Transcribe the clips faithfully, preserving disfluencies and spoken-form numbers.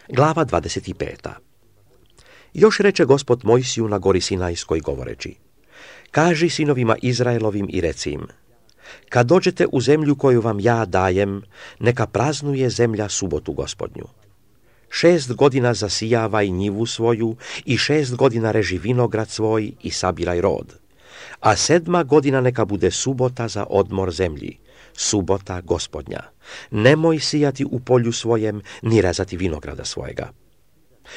Glava dvadeset pet. Još reče Gospod Mojsiju na gori Sinajskoj govoreći: Kaži sinovima Izraelovim i reci im: Kad dođete u zemlju koju vam ja dajem, neka praznuje zemlja subotu Gospodnju. Šest godina zasijavaj njivu svoju i šest godina reži vinograd svoj i sabiraj rod. A sedma godina neka bude subota za odmor zemlji, subota Gospodnja. Nemoj sijati u polju svojem, ni rezati vinograda svojega.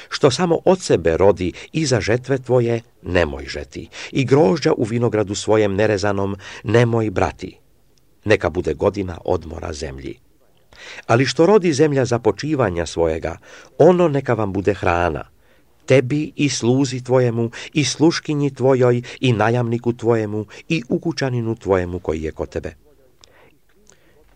Što samo od sebe rodi iza žetve tvoje, nemoj žeti, i grožđa u vinogradu svojem nerezanom nemoj brati. Neka bude godina odmora zemlji. Ali što rodi zemlja započivanja svojega, ono neka vam bude hrana, tebi i sluzi tvojemu, i sluškinji tvojoj, i najamniku tvojemu, i ukućaninu tvojemu koji je kod tebe.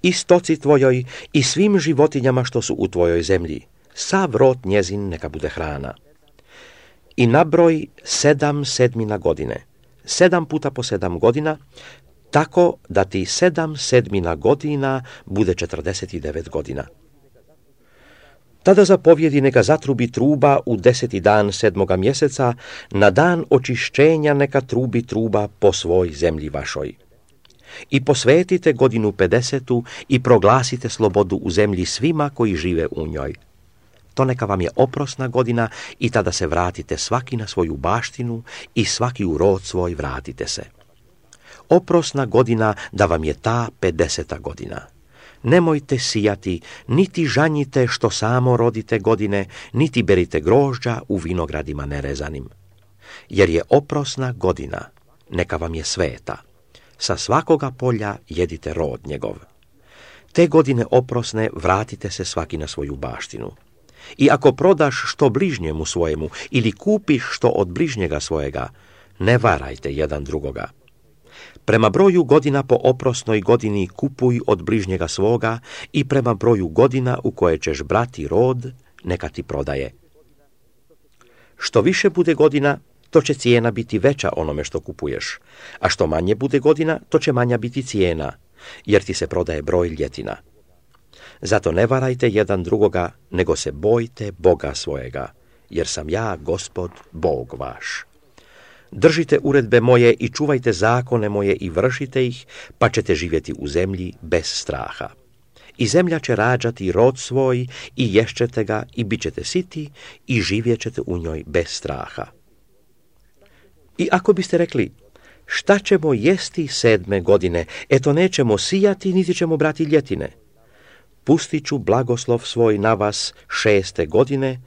I stoci tvojoj, i svim životinjama što su u tvojoj zemlji, sav rod njezin neka bude hrana. I nabroj sedam sedmina godine, sedam puta po sedam godina, tako da ti sedam sedmina godina bude četrdeset devet godina. Tada zapovjedi neka zatrubi truba u deseti dan sedmoga mjeseca, na dan očišćenja neka trubi truba po svoj zemlji vašoj. I posvetite godinu pedesetu i proglasite slobodu u zemlji svima koji žive u njoj. To neka vam je oprosna godina i tada se vratite svaki na svoju baštinu i svaki u rod svoj vratite se. Oprosna godina da vam je ta pedeseta godina. Nemojte sijati, niti žanjite što samo rodite godine, niti berite grožđa u vinogradima nerezanim. Jer je oprosna godina, neka vam je sveta. Sa svakoga polja jedite rod njegov. Te godine oprosne vratite se svaki na svoju baštinu. I ako prodaš što bližnjemu svojemu ili kupiš što od bližnjega svojega, ne varajte jedan drugoga. Prema broju godina po oprosnoj godini kupuj od bližnjega svoga i prema broju godina u koje ćeš brati rod, neka ti prodaje. Što više bude godina, to će cijena biti veća onome što kupuješ, a što manje bude godina, to će manja biti cijena, jer ti se prodaje broj ljetina. Zato ne varajte jedan drugoga, nego se bojte Boga svojega, jer sam ja, Gospod, Bog vaš. Držite uredbe moje i čuvajte zakone moje i vršite ih, pa ćete živjeti u zemlji bez straha. I zemlja će rađati rod svoj i ješćete ga i bit ćete siti i živjet ćete u njoj bez straha. I ako biste rekli, šta ćemo jesti sedme godine, eto nećemo sijati, niti ćemo brati ljetine. Pustit ću blagoslov svoj na vas šeste godine,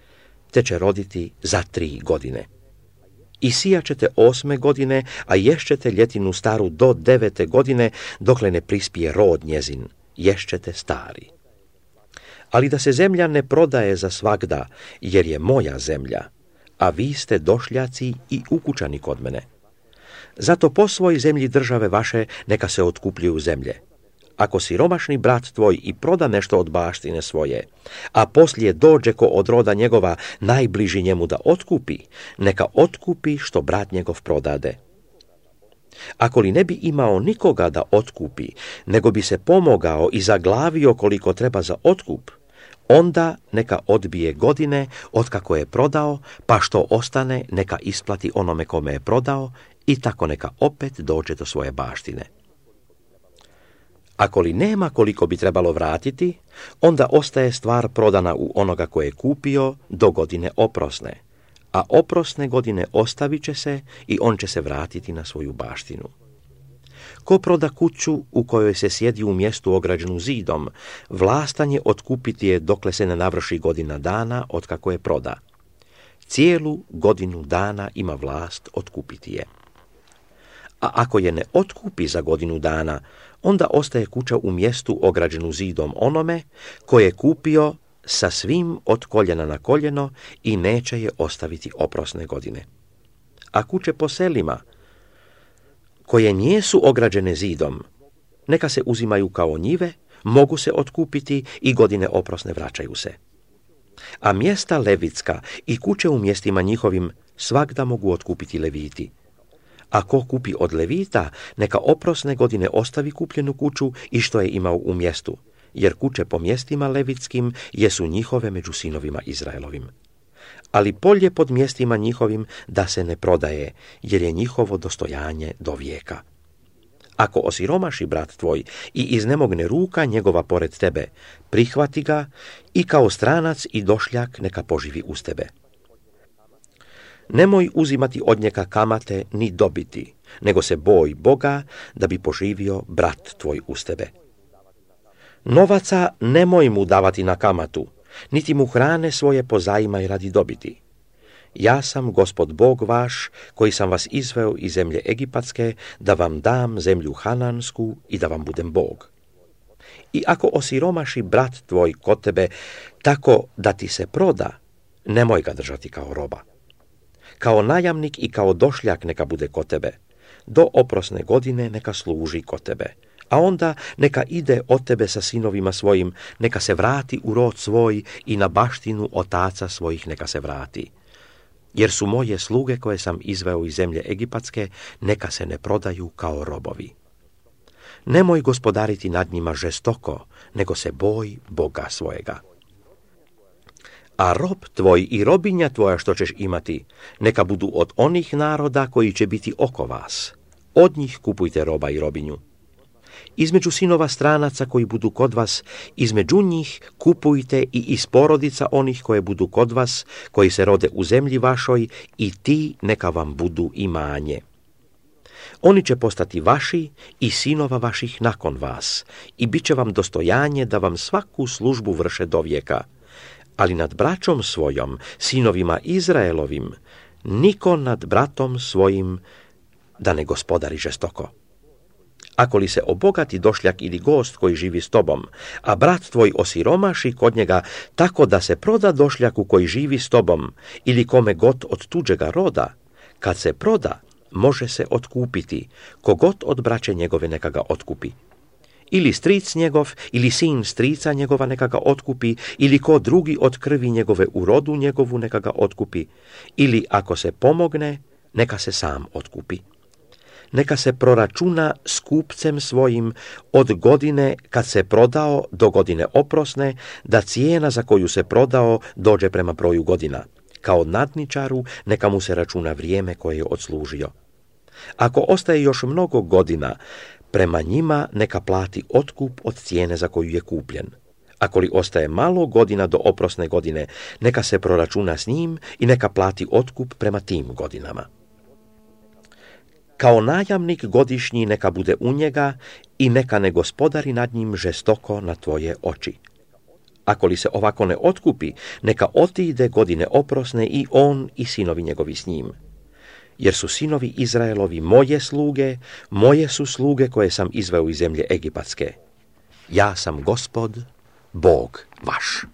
te će roditi za tri godine. I sijat ćete osme godine, a ješćete ljetinu staru do devete godine, dokle ne prispije rod njezin, ješćete stari. Ali da se zemlja ne prodaje za svagda, jer je moja zemlja, a vi ste došljaci i ukućani kod mene. Zato po svoj zemlji države vaše neka se otkupljuju zemlje. Ako siromašni brat tvoj i proda nešto od baštine svoje, a poslije dođe ko od roda njegova najbliži njemu da otkupi, neka otkupi što brat njegov prodade. Ako li ne bi imao nikoga da otkupi, nego bi se pomogao i zaglavio koliko treba za otkup, onda neka odbije godine otkako je prodao, pa što ostane neka isplati onome kome je prodao i tako neka opet dođe do svoje baštine. Ako li nema koliko bi trebalo vratiti, onda ostaje stvar prodana u onoga koje je kupio do godine oprosne, a oprosne godine ostavit će se i on će se vratiti na svoju baštinu. Ko proda kuću u kojoj se sjedi u mjestu ograđenu zidom, vlastan je otkupiti je dokle se ne navrši godina dana od kako je proda. Cijelu godinu dana ima vlast otkupiti je. A ako je ne otkupi za godinu dana, onda ostaje kuća u mjestu ograđenu zidom onome koje je kupio sa svim od koljena na koljeno i neće je ostaviti oprosne godine. A kuće po selima, koje nijesu ograđene zidom, neka se uzimaju kao njive, mogu se otkupiti i godine oprosne vraćaju se. A mjesta levitska i kuće u mjestima njihovim svagda mogu otkupiti leviti. A ko kupi od levita, neka oprosne godine ostavi kupljenu kuću i što je imao u mjestu, jer kuće po mjestima levitskim jesu njihove među sinovima Izraelovim. Ali polje pod mjestima njihovim da se ne prodaje, jer je njihovo dostojanje do vijeka. Ako osiromaši brat tvoj i iznemogne ruka njegova pored tebe, prihvati ga i kao stranac i došljak neka poživi uz tebe. Nemoj uzimati od njega kamate ni dobiti, nego se boj Boga da bi poživio brat tvoj uz tebe. Novaca nemoj mu davati na kamatu, niti mu hrane svoje pozajmaj radi dobiti. Ja sam Gospod Bog vaš, koji sam vas izveo iz zemlje Egipatske, da vam dam zemlju Hanansku i da vam budem Bog. I ako osiromaši brat tvoj kod tebe tako da ti se proda, nemoj ga držati kao roba. Kao najamnik i kao došljak neka bude kod tebe. Do oprosne godine neka služi kod tebe. A onda neka ide od tebe sa sinovima svojim, neka se vrati u rod svoj i na baštinu otaca svojih neka se vrati. Jer su moje sluge koje sam izveo iz zemlje Egipatske, neka se ne prodaju kao robovi. Nemoj gospodariti nad njima žestoko, nego se boj Boga svojega. A rob tvoj i robinja tvoja što ćeš imati, neka budu od onih naroda koji će biti oko vas. Od njih kupujte roba i robinju. Između sinova stranaca koji budu kod vas, između njih kupujte i iz porodica onih koje budu kod vas, koji se rode u zemlji vašoj, i ti neka vam budu imanje. Oni će postati vaši i sinova vaših nakon vas, i bit će vam dostojanje da vam svaku službu vrše do vijeka. Ali nad braćom svojom, sinovima Izraelovim, niko nad bratom svojim da ne gospodari žestoko. Ako li se obogati došljak ili gost koji živi s tobom, a brat tvoj osiromaši kod njega tako da se proda došljaku koji živi s tobom ili kome god od tuđega roda, kad se proda, može se otkupiti, kogod od braće njegove neka ga otkupi. Ili stric njegov, ili sin strica njegova neka ga otkupi, ili ko drugi od krvi njegove u rodu njegovu neka ga otkupi, ili ako se pomogne, neka se sam otkupi. Neka se proračuna s kupcem svojim od godine kad se prodao do godine oprosne, da cijena za koju se prodao dođe prema broju godina. Kao nadničaru neka mu se računa vrijeme koje je odslužio. Ako ostaje još mnogo godina, prema njima neka plati otkup od cijene za koju je kupljen. Ako li ostaje malo godina do oprosne godine, neka se proračuna s njim i neka plati otkup prema tim godinama. Kao najamnik godišnji neka bude u njega i neka ne gospodari nad njim žestoko na tvoje oči. Ako li se ovako ne otkupi, neka otiđe godine oprosne i on i sinovi njegovi s njim. Jer su sinovi Izraelovi moje sluge, moje su sluge koje sam izveo iz zemlje Egipatske. Ja sam Gospod, Bog vaš.